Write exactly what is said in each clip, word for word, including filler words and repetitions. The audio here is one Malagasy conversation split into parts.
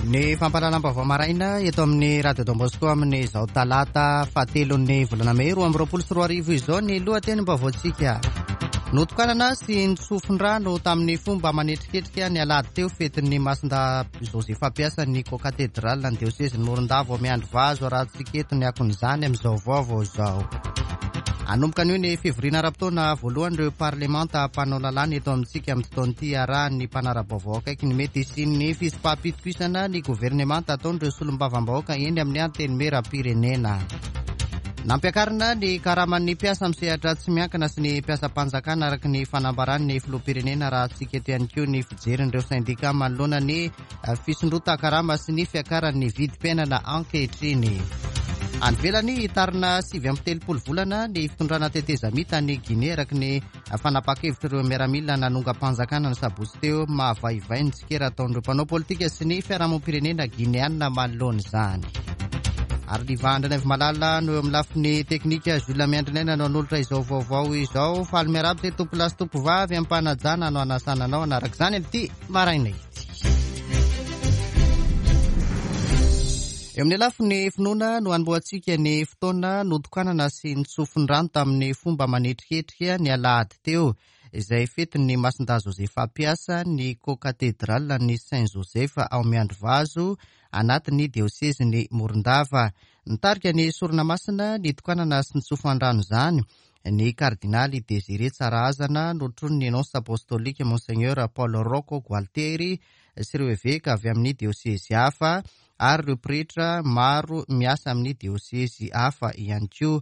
Ny fampahalalam-baovao maraina eto amin'ny Radio Don Bosco amin'izao talata fahatelon'ny volana mey roa amby roapolo sy roa arivo izao ny lohatenim-baovaontsika. Notokanana sy nitsofin-drano tamin'ny fomba manetriketrika ny alahady teo fetin'ny Masindahy Josefa mpiasan'ny Cocathédrale ny diosezin'i Morondava ao Miandrivazo arahantsika eto ny akon'izany amin'izao vaovao izao. Hanomboka anio ny fivoriana ara-potoana voalohan'ireo parlemanta mpanao lalàna eto amintsika amin'ity taona ity, arahan'ny mpanara-baovao akaiky ny mety hisian'ny fisipaham-pitokisana ny governemanta ataon'ireo solombavambahoaka eny amin'ny antenimieram-pirenena. Nampiakarina ny karaman'ny mpiasa amin'ny sehatra tsy miankina sy ny mpiasam-panjakana araka ny fanambaran'ny filoham-pirenena, raha antsika eto ihany koa ny fijerin'ireo sendika manoloana ny fisondrotan-karama sy ny fiakaran'ny vidim-piainana ankehitriny. Any ivelany, hitarina sivy amby telopolo volana ny fitondrana tetezamita any Guinée araka ny fanapahan-kevitr'ireo miaramila nanongam-panjakana ny sabotsy teo. Mahavaivay ny tsikera ataon'ireo mpanao politika sy ny fiarahamonim-pirenena guinéana manoloana izany. Ary Liva Andrianaivomalala no eo amin'ny lafiny teknika, Jules Miandrinaina no hanolotra izao vaovao izao. Faly miarahaba izay tompolahy sy tompovavy am-panajana no hanasana anao hanaraka izany amin'ity maraina ity. Eo amin'ny lafiny finoana no hanombohantsika ny fotoana notokanana sy nitsofin-drano tamin'ny fomba manetriketrika ny alahady teo, izay fetin'ny Masindahy Josefa mpiasa ny Cocathédrale ny Saint Joseph ao Miandrivazo anatin'ny diosezin'i Morondava. Nitarika ny sorona masina nitokanana sy nitsofan-drano izany ny kardinaly Désiré Tsarahazana, notronin'ny nonce apostolika Monseigneur Paul Rocco Gualtieri sy ireo eveka avy amin'ny diosezy hafa ary ireo pretra maro miasa amin'ny diosezy hafa ihany koa.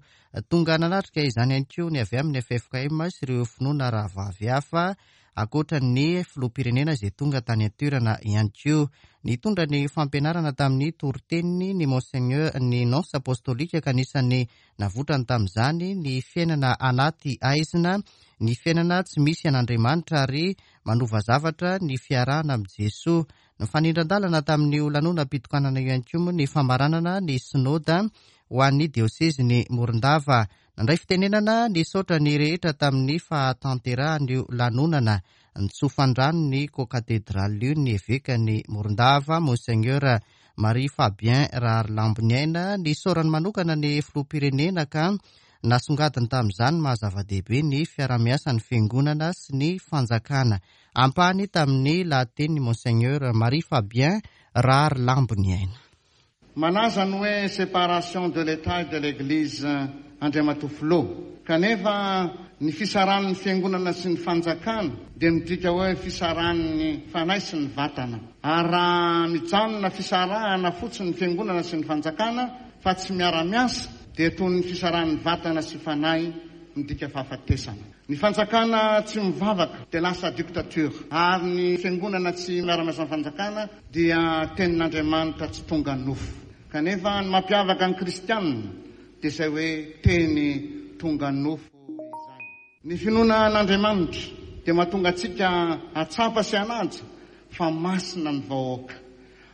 Tonga nanatrika izany ihany koa ny avy amin'ny F F K M sy ireo finoana rahavavy hafa, ankoatra ny filoham-pirenena izay tonga tany an-toerana ihany koa. Nitondra ny fampianarana tamin'ny toriteniny ny Monseigneur ny nonce apostolika, ka anisan'ny navotrany tamin'izany ny fiainana anaty aizina, ny fiainana tsy misy an'Andriamanitra ary manova zavatra ny fiarahana amin'i Jesoa. Nifanindran-dalana tamin'ny lanonam-pitokanana io ihany koa moa ny famaranana ny synoda ho an'ny diosezin'i Morondava. Nandray fitenenana nisaotra ny rehetra tamin'ny fahatanterahan'io lanonana nitsofan-drano ny Cocathédrale io ny evekan'i Morondava, Monseigneur Marie Fabien Raharilamboniaina. Nisaorany manokana ny filoham-pirenena ka nasongadiny tamin'izany maha zava-dehibe ny fiarahamiasan'ny fiangonana sy ny fanjakana. Ampahany tamin'ny lahatenin'i Monseigneur Marie Fabien Raharilamboniaina. Malaza ny hoe séparation de l'État et de l'Église Andriamatoa Filoha, kanefa ny fisaran'ny fiangonana sy ny fanjakana dia midika hoe fisaran'ny fanahy sy ny vatana. Ary raha mijanona fisarahana fotsiny ny fiangonana sy ny fanjakana fa tsy miara-miasa dia toy ny fisaran'ny vatana sy fanahy midika fahafatesana. Ny fanjakana tsy mivavaka dia lasa dictature, ary ny fiangonana tsy miara-miasa amin'ny fanjakana dia tenin'Andriamanitra tsy tonga nofo. Kanefa ny mampiavaka ny kristianina dia izay hoe teny tonga nofo izany. Ny finoana an'Andriamanitra dia mahatonga antsika hatsapa sy hanaja fa masina ny vahoaka,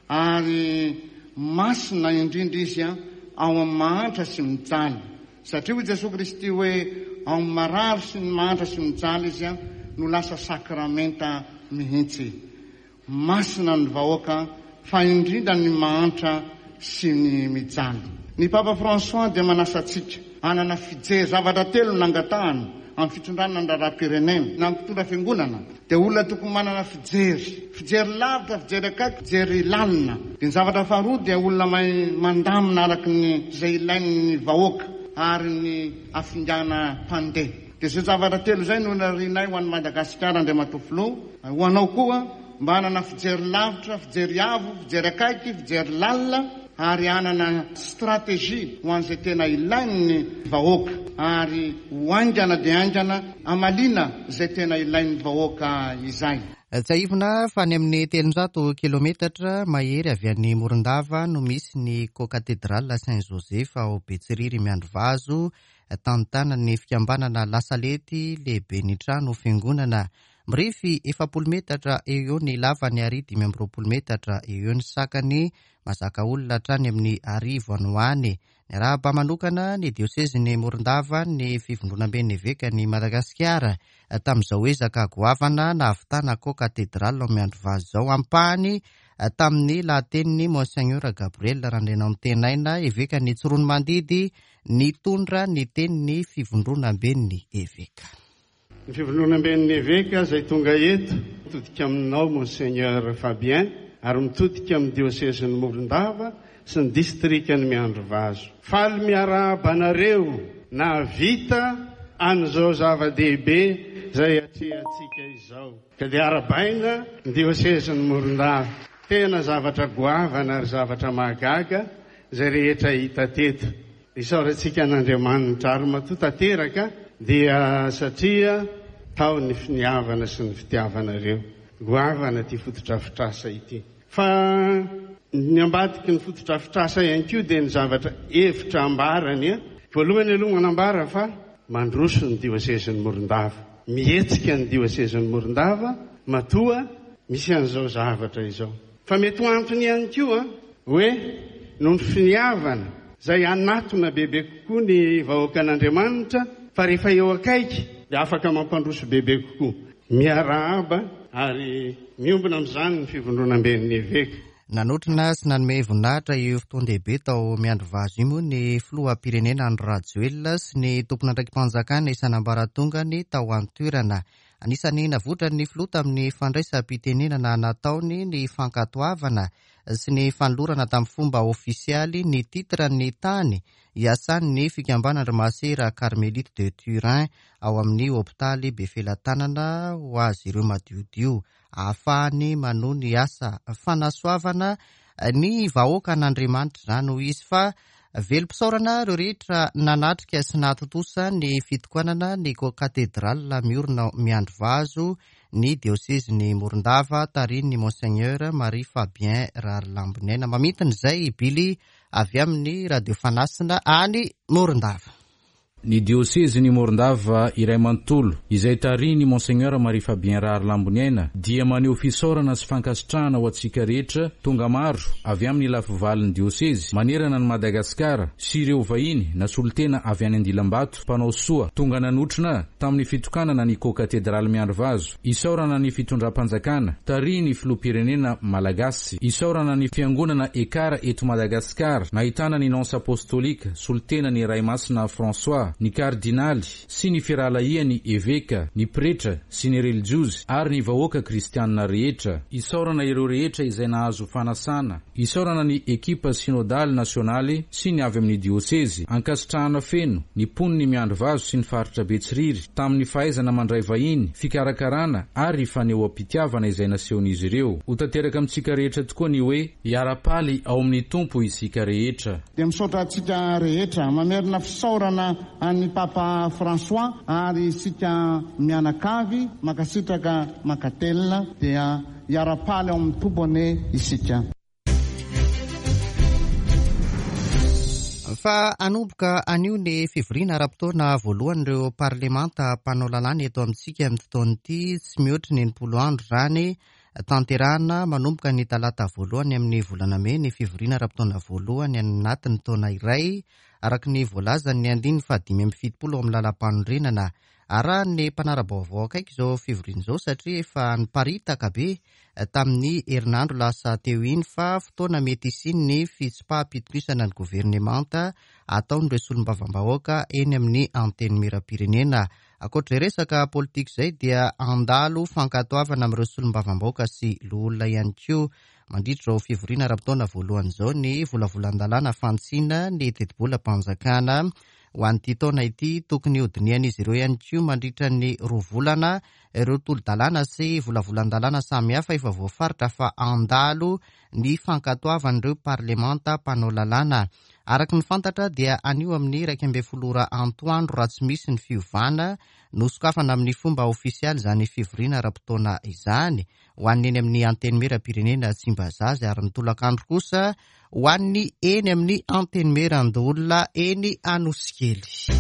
ary masina indrindra izy ao amin'ny mahantra sy mijaly. Satria hoy Jesoa Kristy hoe ao amin'ny marary sy ny mahantra sy mijaly izy no lasa sakramenta mihitsy. Masina ny vahoaka fa indrindra ny mahantra sy ny mijaly. Ny Papa François dia manasa antsika hanana fijery zavatra telo nangatahana amin'ny fitondrana ny raharaham-pirenena na mpitondra fiangonana dia olona tokony manana fijery, fijery lavitra, fijery akaiky, fijery lalina. Dia ny zavatra faharoa dia olona mahay mandamina araka ny izay ilain'ny vahoaka ary ny afingana mpandeha. Dia izay zavatra telo izay no narianay ho an'i Madagasikara Andriamatoa Filoha, ho anao koa mba hanana fijery lavitra, fijery avo, fijery akaiky, fijery lalina ary hanana stratégie ho an'izay tena ilain'ny vahoaka ary ho haingana dia haingana hamaliana izay tena ilain'ny vahoaka izay. Tsiahivina fa any amin'ny telonjato kilometatra mahery avy any Morondava no misy ny Cocathédrale Saint Joseph ao Betsiriry Miandrivazo, tantanan'ny fikambanana Lasalety lehibe ny trano fiangonana. Mirefy efapolo metatra eo eo ny lavany ary dimy amby roapolo metatra eo eo ny sakany, mazaka olona hatrany amin'ny arivo any ho any. Niarahaba manokana ny diosezin'i Morondava ny fivondronamben'ny evekan'i Madagasikara tamin'izao ezaka goavana nahavitana Cocathédrale ao Miandrivazo izao. Ampahany tamin'ny lahatenin'ny Monseigneur Gabriel Randrianantenaina, evekan'ny Tsiroanomandidy, nitondra ny tenin'ny fivondronamben'ny eveka. Ny fivondronamben'ny eveka izay tonga eto mitodika aminao Monseigneur Fabien ary mitodika amin'ny diosezin'ny Morondava sy ny distrikan'ny Miandrivazo. Faly miarahaba anareo nahavita an'izao zava-dehibe izay atrehantsika izao. Ka dia arahabaina ny diosezin'ny Morondava. Tena zavatra goavana ary zavatra mahagaga izay rehetra hita teto. Isaorantsika an'Andriamanitra ary matoa tanteraka dia satria tao ny finiavana sy ny fitiavanareo. Goavana ty fotodrafitrasa ity. Fa ny ambadiky ny fotodrafitrasa ihany koa dia ny zavatra hevitra ambarany. Voalohany aloha manambara fa mandroso ny diosezin'ny Morondava. Mihetsika ny diosezin'ny Morondava matoa misy an'izao zavatra izao. Fa mety ho antony ihany koa hoe noho ny finiavana izay hanatona bebe kokoa ny vahoakan'Andriamanitra fa rehefa eo akaiky dia afaka mampandroso bebe kokoa. Miarahaba ary miombona amin'izany ny fivondronamben'ny eveka. Nanotrona sy nanome voninahitra io fotoan-dehibe tao Miandrivazo io moa ny filoham-pirenena Andry Rajoelina sy ny tompon'andraiki-panjakana isan'ambaratongany tao an-toerana. Anisan'ny navoitran'ny filoha tamin'ny fandraisam-pitenenana nataony ny fankatoavana sy ny fanolorana tamin'ny fomba ofisialy ny titran'ny tany iasan'ny fikambanana Masera Carmelite de Turin ao amin'ny hopitaly Befelatanana ho azy ireo madiodio ahafahany manohy ny asa fanasoavana ny vahoakan'Andriamanitra izany ho izy. Fa velom-pisaorana ireo rehetra nanatrika sy nahatontosa ny fitokanana ny katedrala miorina Miandrivazo ny diosezin'ny Morondava tarihin'ny Monseigneur Marie Fabien Rahalamboniaina. Mamintina izay Billy avy amin'ny Radio Fanasina any Morondava. Ny diosezin'ny Morondava iray manontolo izay tarihin'ny Monseigneur Marie Fabien Rahalamboniaina dia maneho fisaorana sy fankasitrahana ho antsika rehetra tonga maro avy amin'ny lafivalin'ny diosezy manerana ny Madagasikara sy ireo vahiny na solontena avy any Andilambato mpanao soa tonga nanotrona tamin'ny fitokanana ny katedraly Miandrivazo. Isaorana ny fitondram-panjakana tarihin'ny filoham-pirenena malagasy. Isaorana ny fiangonana Ekara eto Madagasikara nahitana ny nonce apostolika solontena ny Ray Masina François, ny kardinaly sy ny firahalahiany eveka, ny pretra sy ny relijiozy ary ny vahoaka kristianina rehetra. Isaorana ireo rehetra izay nahazo fanasana. Isaorana ny ekipa synodaly nasionaly sy ny avy amin'ny diosezy. Ankasitrahana feno ny mponin'ny Miandrivazo sy ny faritra Betsiriry tamin'ny fahaizana mandray vahiny, fikarakarana ary fanehoam-pitiavana izay nasehon'izy ireo. Ho tanteraka amintsika rehetra tokoa ny hoe hiara-paly ao amin'ny Tompo isika rehetra. Dia misaotra antsika rehetra, mamerina fisaorana an'ny Papa François ary isika mianakavy mankasitraka mankatelina dia hiara-paly ao amin'ny Tompo anie isika. Fa hanomboka anio ny fivoriana ara-potoana voalohan'ireo parlemanta mpanao lalàna eto amintsika amin'ity taona ity, tsy mihoatra ny enimpolo andro izany. Tanterahana manomboka ny talata voalohany amin'ny volana mey ny fivoriana ara-potoana voalohany anatin'ny taona iray araka ny voalazan'ny andininy fahadimy amby fitopolo amin'ny lalam-panorenana. Arahan'ny mpanara-baovao akaiky izao fivoriana izao satria efa niparitaka be tamin'ny herinandro lasa teo iny fa fotoana mety hisian'ny fitsipaham-pitokisana ny governemanta ataon'ireo solombavambahoaka eny amin'ny antenimieram-pirenena. Ankoatra izay resaka politika izay dia handalo fankatoavana amin'ireo solombavambahoaka sy loholona ihany koa mandritra izao fivoriana ara-potoana voalohany izao ny volavolan-dalàna fantsina ny tetibolam-panjakana ho an'ity taona ity. Tokony hodinihan'izy ireo ihany koa mandritra ny roa volana ireo tolo-dalàna sy volavolan-dalàna samihafa efa voafaritra fa handalo ny fankatoavan'ireo parlemanta mpanao lalàna. Araka ny fantatra dia anio amin'ny iraika ambin'ny folo ora antoandro raha tsy misy ny fiovana no sokafana amin'ny fomba ofisialy izany fivoriana ara-potoana izany ho an'ny eny amin'ny antenimieram-pirenena Tsimbazaza ary ny tolakandro kosa ho an'ny eny amin'ny antenimieran-doholona eny Anosikely.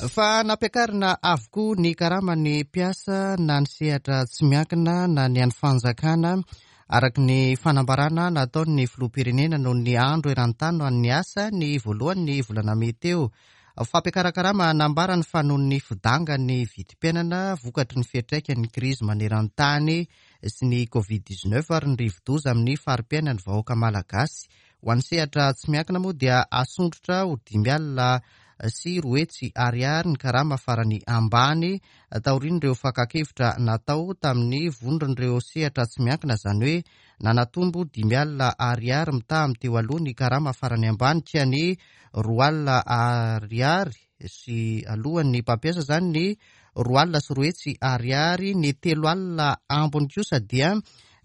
Fa nampiakarina avokoa ny karaman'ny mpiasa na ny sehatra tsy miankina na ny an'ny fanjakana araka ny fanambarana nataon'ny filoham-pirenena noho ny andro eran-tany ho an'ny asa ny voalohan'ny volana mey teo. Fampiakaran-karama nambarany fa noho ny fidangan'ny vidim-piainana vokatry ny fiantraikan'ny krizy maneran-tany sy ny covid dix-neuf ary ny rivo-doza amin'ny fari-piainan'ny vahoaka malagasy. Ho an'ny sehatra tsy miankina moa dia asondrotra ho dimy alina sy roa hetsy ariary ny karama farany ambany taorian'ireo fakan-kevitra natao tamin'ny vondron'ireo sehatra tsy miankina, izany hoe nanatombo dimy alina ariary mitaha amin'ny teo aloha ny karama farany ambany ka ny roa alina ariary sy alohan'ny mpampiasa izany ny roa alina sy roa hetsy ariary, ny telo alina ambiny kosa dia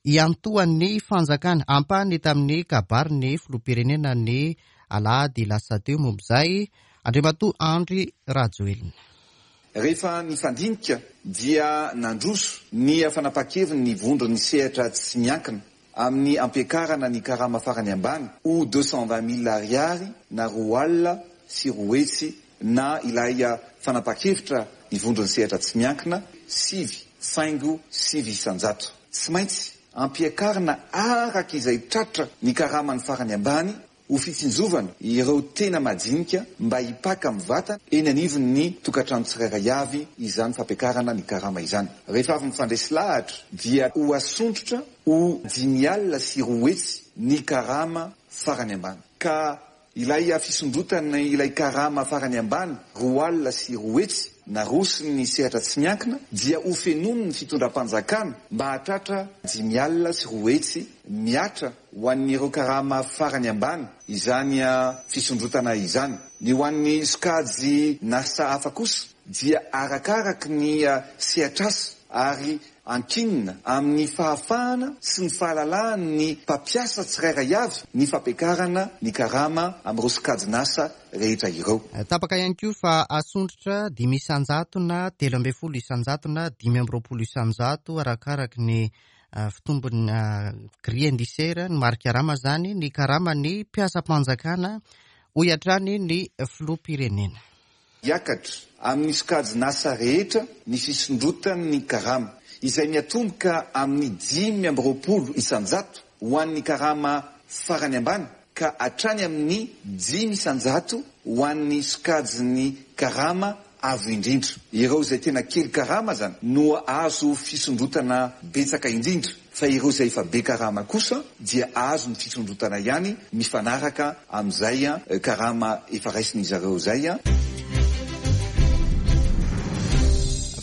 iantohan'ny fanjakana. Ampahany tamin'ny kabarin'ny filoham-pirenena ny alahady lasa teo momba izay Andriamatoa Andry Rajoelina. Rehefa nifandinika dia nandroso ny fanapa-keviny ny vondron'ny sehatra tsy miankina amin'ny ampiakarana ny karama farany ambany ho deux cent vingt mille ariary na roa alina sy roa hetsy na ilay fanapa-kevitra ny vondron'ny sehatra tsy miankina sivy faingo sivy isan-jato. Tsy maintsy ampiakarina araka izay tratra ny karamany farany ambany ho fitsinjovana ireo tena majinika mba hipaka mivata eny anivon'ny tokantrano tsirairay avy izany fampiakarana ny karama izany. Rehefa avy mifandresy lahatra dia ho asondrotra ho dimy alina sy roa hetsy ny karama farany ambany. Ka ilay fisondrotana ilay karama farany ambany roa alina sy roa hetsy naroson'ny sehatra tsy miankina dia ho fenoin'ny fitondram-panjakana mba hahatratra dimy alina sy roa hetsy miatra ho an'ireo karama farany ambany izany fisondrotana izany. Ny ho an'ny sokajy nasa hafa kosa dia arakaraky ny sehatr'asa ary ankinina amin'ny fahafahana sy ny fahalalahan'ny mpampiasa tsirairay avy ny fampiakarana ny karama amin'ireo sokajin'asa rehetra ireo. Tapaka ihany koa fa asondrotra dimy isan-jato na telo ambin'ny folo isan-jato na dimy amby roapolo isan-jato arakaraky ny fitombon'ny grille indiciaire ny mari-karama izany ny karaman'ny mpiasam-panjakana, hoy hatrany ny filoham-pirenena. Hiakatra amin'ny sokajin'asa rehetra ny fisondrotan'ny karama izay miatomboka amin'ny dimy amby roapolo isan-jato ho an'ny karama farany ambany ka hatrany amin'ny dimy isan-jato ho an'ny sokajin'ny karama avo indrindra. Ireo izay tena kely karama zany no azo fisondrotana betsaka indrindra, fa ireo izay efa be karama kosa dia azo ny fisondrotana ihany mifanaraka amin'izay karama efa raisin'izy ireo izay.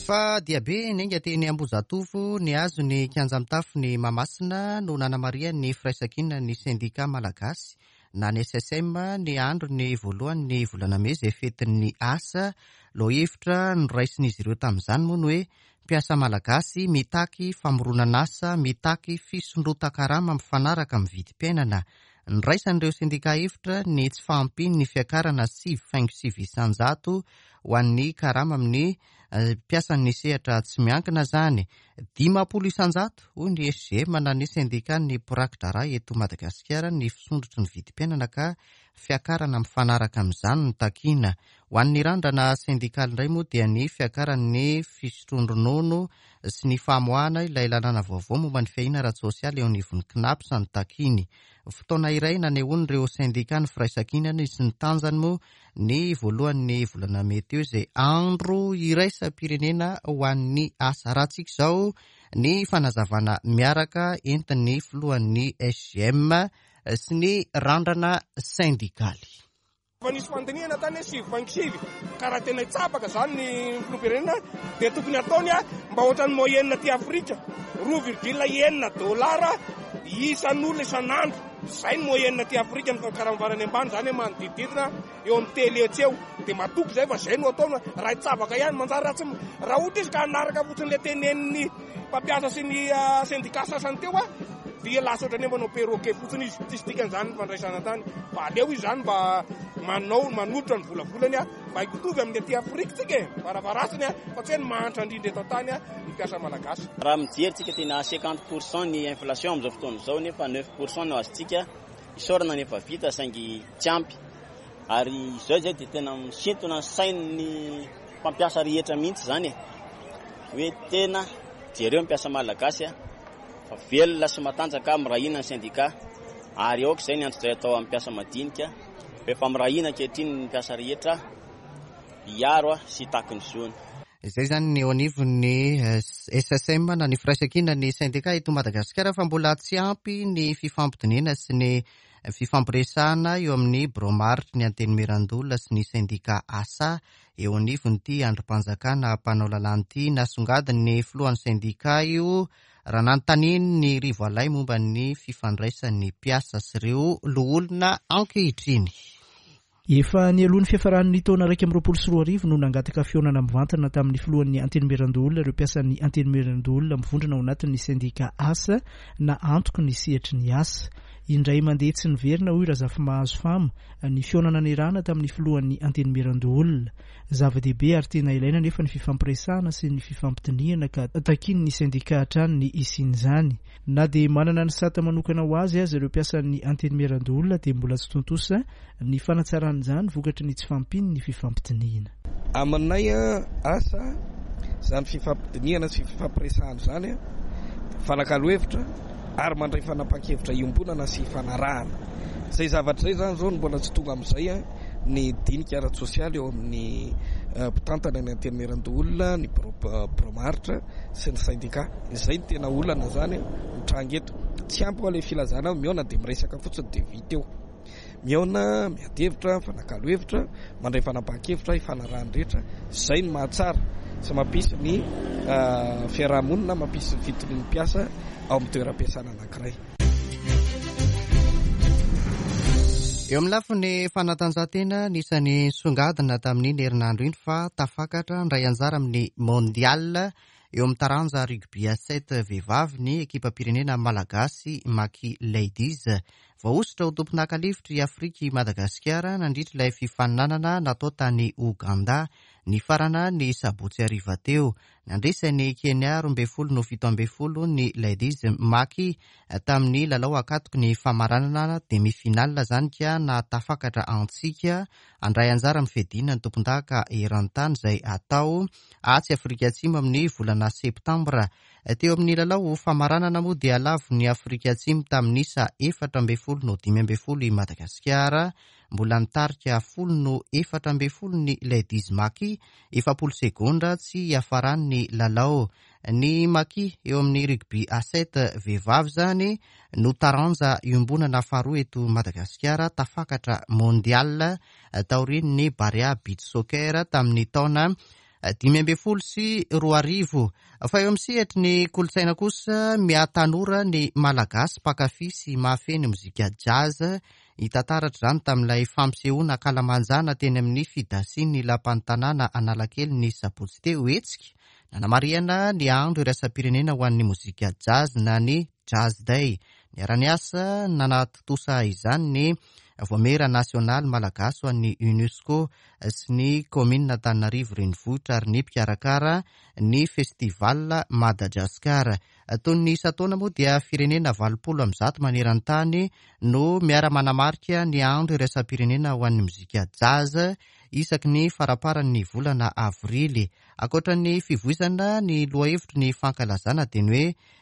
Fa dia be niainga teny Ambohijatovo ny azo ny kianja mitafo ny Mahamasina no nanamarihan'ny firaisankina ny sendika malagasy na ny S S M ny andro ny voalohany volana mey izay fetin'ny asa. Lohahevitra noraisin'izy ireo tamin'izany moa ny hoe mpiasa malagasy mitaky famoronana asa, mitaky fisondrotan-karama mifanaraka amin'ny vidim-piainana. Niraisan'ireo sendika hevitra ny tsy fahampian'ny fiakarana sivy faingo sivy isan-jato ho an'ny karama amin'ny mpiasan'ny sehatra tsy miankina izany. Dimampolo isan-jato hoy ny S G M na ny sendikan'ny mpiraki-draharaha eto Madagasikara ny fisondrotry ny vidim-piainana ka fiakarana mifanaraka amin'izany no takiana. Ho an'ny randrana sendikaly indray moa dia ny fiakaran'ny fisotroan-dronono sy ny famoahana ilay lalàna vaovao momba ny fiahiana ara-tsosialy eo anivon'ny C N A P S no takiany. Fotoana iray nanehoan'ireo sendika ny firaisankinany sy ny tanjany moa ny voalohan'ny volana mey teo izay andro iraisam-pirenena ho an'ny asa. Rahantsika izao ny fanazavana miaraka entin'ny filohan'ny S G M sy ny randrana sendikaly. Efa nisy fandinihana tany hoe sivy faingo sivy, ka raha tena hitsabaka izany ny filoham-pirenena dia tokony ataony mba ohatran'ny moyenne aty Afrika, roa virgule enina dolara isan'olona isan'andro. Izay ny moyenne aty Afrika ny karama farany ambany, izany hoe manodidididina eo amin'ny telo hetsy eo. Dia matoky izay fa izay no ataony, raha hitsabaka ihany manjary raha tsy m-, raha ohatra izy ka hanaraka fotsiny ilay tenenin'ny mpampiasa sy ny sendika sasany teo a, dia lasa ohatran'ny hoe manao perroquet fotsiny izy, tsisy dikany izany ny fandraisana tany. Fa aleo izy izany mba manao, manolotra ny volavolany a, mba hitovy amin'ny aty Afrika tsika e, varavaratsiny a, fa tsy hoe ny mahantra indrindra eto an-tany a, ny mpiasa malagasy. Raha mijery tsika tena cinquante pour cent ny inflation amin'izao fotoana izao nefa neuf pour cent no azontsika, isaorana ny efa vita saingy tsy ampy. Ary izao izay dia tena misintona ny sain'ny mpampiasa rehetra mihitsy izany e. Hoe tena jereo ny mpiasa malagasy a, fa velona sy matanjaka mirahina ny sendika, ary aoka izay ny antso izay atao amin'ny mpiasa madinika, fa efa mirahina ankehitriny ny mpiasa rehetra hiaro sy hitaky ny zony. Izay izany ny eo anivon'ny S S M na ny firaisankina ny sendika eto Madagasikara, fa mbola tsy ampy ny fifampidinihana sy ny fifampiresahana eo amin'ny birao maharitry ny Antenimierandoholona sy ny sendika ASA eo anivon'ity andrim-panjakana mpanao lalàna ity. Nasongadiny ny filohan'ny sendika io raha nanontaniany ny Rivo Alay momba ny fifandraisan'ny mpiasa sy ireo loholona ankehitriny. Efa nialoha ny fiafaran'ny taona iraika amby roapolo sy roa arivo no nangataka fihaonana mivantana tamin'ny filohan'ny Antenimierandoholona ireo mpiasan'ny Antenimierandoholona mivondrona ao anatin'ny sendika ASA na antoko ny sehatry ny asa. Indray mandeha tsy niverina, hoy Razafimahazo Fama, ny fihaonana niarahana tamin'ny filohan'ny Antenimierandoholona. Zava-dehibe ary tena ilaina nefa ny fifampiresahana sy ny fifampidinihana, ka takian'ny ny sendika hatrany ny hisian'izany. Na dia manana ny sata manokana ho azy aza ireo mpiasan'ny Antenimierandoholona, dia mbola tsy tontosa ny fanatsaran'izany vokatry ny tsy fahampian'ny ny fifampidinihana. Aminay a asa zany fifampidinihana sy fifampiresahana zany a fanakalo hevitra ary mandray fanapahan-kevitra iombonana sy fanarahana zay zavatra zay. Zany zao no mbola tsy tonga am'izay a ny dinika ara-tsosialy eo amin'ny mpitantana ny Antenimierandoholona, ny birao maharitra sy ny syndicat. Izay ny tena olana zany mitranga eto. Tsy ampy hoa le filazana mihaona de miresaka fotsiny de vita eo. Mihaona, miady hevitra, mifanakalo hevitra, mandray fanapahan-kevitra ifanarahany rehetra. Zay ny mahatsara sy mampisy ny fiarahamonina, mampisy ny fitonian'ny mpiasa ao amin'ny toeram-piasana anankiray. Eo amin'ny lafiny fanatanjahantena, nisany songadina tamin'iny herinandro iny fa tafakatra ndray anjara amin'ny mondial eo amin'ny taranja rugby à sept vehivavy ny ekipa-pirenena malagasy Maki Ladies. Voahosotra ho tompondaka lefitry Afrika i Madagasikara nandritra ilay fifaninanana natao tany Oganda ny farana ny sabotsy hariva teo. Nandresy Kenya roa ambin'ny folo no fito ambin'ny folo ny Ladies Maki tamin'ny lalao ankatoky ny famaranana, demi-finale zany, ka na tafakatra antsika andray anjara amin'ny fiadiana ny tompondaka eran-tany izay atao atsy Afrika Atsimo amin'ny volana septambra. Teo amin'ny lalao famaranana moa dia lavo ny Afrika Atsimo tamin'ny isa efatra ambin'ny folo no dimy ambin'ny folo i Madagasikara. Mbola nitarika folo no efatra ambin'ny folo ny Ladies Maki efapolo segondra tsy hiafarany lalao. Ny Maki eo amin'ny rugby à sept vehivavy zany no taranja iombonana faharoa eto Madagasikara tafakatra mondial taorian'ny Barea Beach Soccer tamin'ny taona dimy ambin'ny folo sy roa arivo. Fa eo amin'ny sehatry ny kolontsaina kosa, mihatanora ny Malagasy mpankafy sy mahafehy ny mozika jazz. Hita taratra izany tamin'ilay fampisehoana ankalamanjana teny amin'ny fidasiany lapan'ny tanàna Analakely ny sabotsy teo, hetsika nanamarihana ny andro iraisam-pirenena ho an'ny mozika jazz na ny Jazz Day. Niara-niasa nanatontosa izany ny Vaomiera Nasionaly Malagasy ho an'ny UNESCO sy ny Kaominina Antananarivo Renivohitra ary ny mpikarakara ny Festival Madagascar. Toy ny isan-taona moa dia firenena valopolo amby zato maneran-tany no miara-manamarika ny andro iraisam-pirenena ho an'ny mozika jazz isaky ny faramparan'ny volana avrily. Ankoatra ny fivoizana ny lohahevitry ny fankalazana, dia ny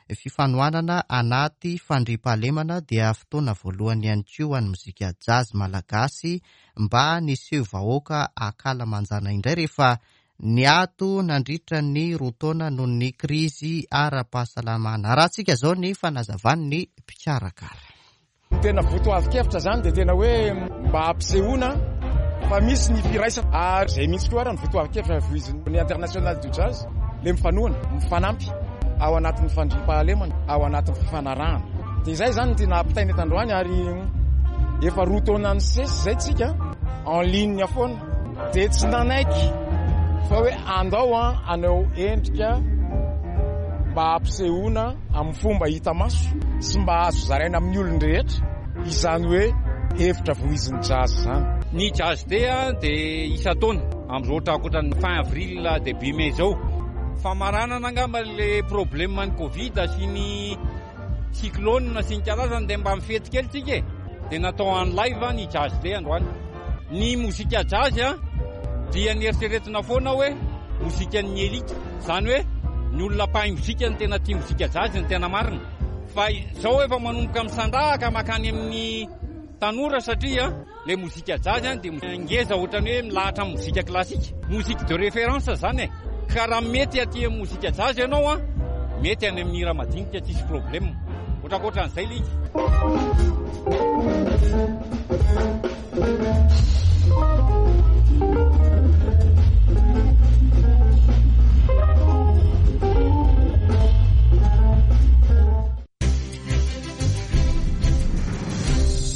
hoe fifanohanana anaty fandriampahalemana, dia fotoana voalohany ihany koa ho an'ny mozika jazz malagasy mba niseho vahoaka ankalamanjana indray rehefa niato nandritra ny roa taona noho ny krizy ara-pahasalamana. Arahantsika zao ny fanazavan'ny mpikarakara. Ny tena votoatin-kevitra zany dia tena hoe mba hampisehoana fa misy ny firaisana, ary zay mihitsy koa ara ny votoatin-kevitra voiziny ny International du Jazz, le mifanohana, mifanampy ao anatin'ny fandriampahalemana, ao anatin'ny fifanarahana. Dia izay zany ny tena ampitaina eto androany. Ary efa roa taona ny sesy zay tsika en ligne foana, dia tsy nanaiky fa hoe andao a anao endrika mba hampisehoana amin'ny fomba hita maso sy mba azo zaraina amin'ny olon-drehetra izany hoe hevitra voizin'ny jazz zany. Ny Jazz Day a dia isan-taona am'izao ohatra ankoatran'ny fin avril, début mai zao, famaranana angamba le problème ny Covid sy ny cyclone sy ny karazany, dia mba mifety kely tsika e, dia natao en live ny Jazz Day androany. Ny mozika jazz a dia nieritreretina foana hoe mozikan'ny élite, zany hoe ny olona mpahay mozika ny tena tia mozika jazz, ny tena marina. Fa zao efa manomboka misandrahaka makany amin'ny tanora, satria le mozika jazz a dia ngeza ohatrany hoe milahatra amin'ny mozika classique, musique de référence zany e. Ka raha mety aty amin'ny mozika jazz ianao a, mety any amin'ny hira madinika tsisy problème. Ohatrakohatran'izay le izy.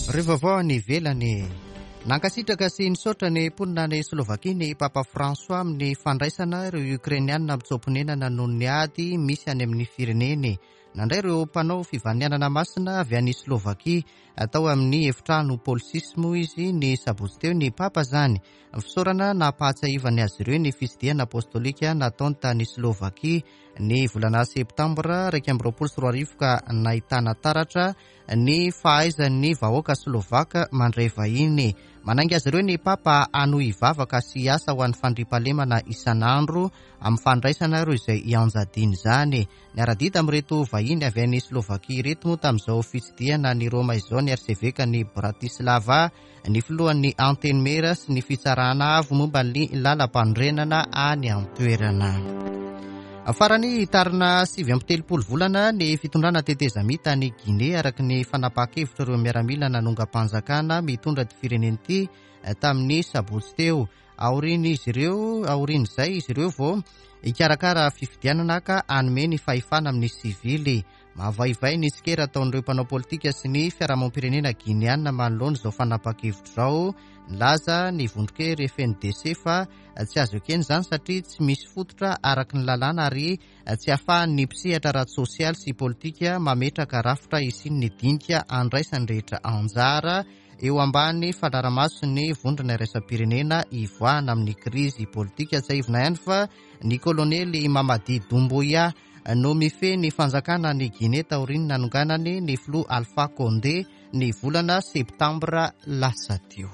Ireo vaovao any ivelany. Nankasitraka sy nisaotra ny mponina any Slovakia ny Papa François amin'ny fandraisana ireo Ukrainianina mitsoa-ponenana noho ny ady misy any amin'ny fireneny. Nandray ireo mpanao fivanianana masina avy any Slovakia atao amin'ny efitrano Paul six moa izy ny sabotsy teo ny Papa zany. Fisaorana nampahatsiahivany azy ireo ny fitsidihana apostolika nataony tany Slovakia ny volana septambra iraika amby roapolo sy roa arivo ka nahitana taratra ny fahaizan'ny vahoaka slovaka mandray vahiny. Manainga azy ireo ny Papa hanohy hivavaka sy hiasa ho an'ny fandriampahalemana isan'andro amin'ny fandraisana ireo izay ianjadiana izany. Niara-dia tamin'ireto vahiny avy any Slovakia ireto moa tamin'izao fitsidihana ny Roma izao ny arsevekan'i Bratislava, ny filohan'ny Antenimiera sy ny fitsarana avo momba ny lalam-panorenana any an-toerana. Farany hitarina sivy amby telopolo volana ny fitondrana tetezamita any Guinée araka ny fanapahan-kevitra ireo miaramila nanongam-panjakana mitondra ty firenena ity tamin'ny sabotsy teo. Aorian'izy ireo, aorian'izay izy ireo vao hikarakara fifidianana ka hanome ny fahefana amin'ny sivily. Mahavaivay ny tsikera ataon'ireo mpanao politika sy ny fiarahamonim-pirenena guinéana manoloana izao fanapahan-kevitra izao. Nilaza ny vondron-kery F N D C fa tsy azo ekena izany satria tsy misy fototra araka ny lalàna ary tsy ahafahan'ny mpisehatra ara-tsosialy sy politika mametraka rafitra hisian'ny dinika andraisan'ny rehetra anjara eo ambany fanaraha-mason'ny vondrona iraisam-pirenena hivoahana amin'ny krizy politika. Tsiahivina ihany fa ny kolonely Mamadi Doumbouya no mifehy ny fanjakana ny Guinée taorian'ny nanonganany ny filoha Alpha Condé ny volana septambra lasa teo.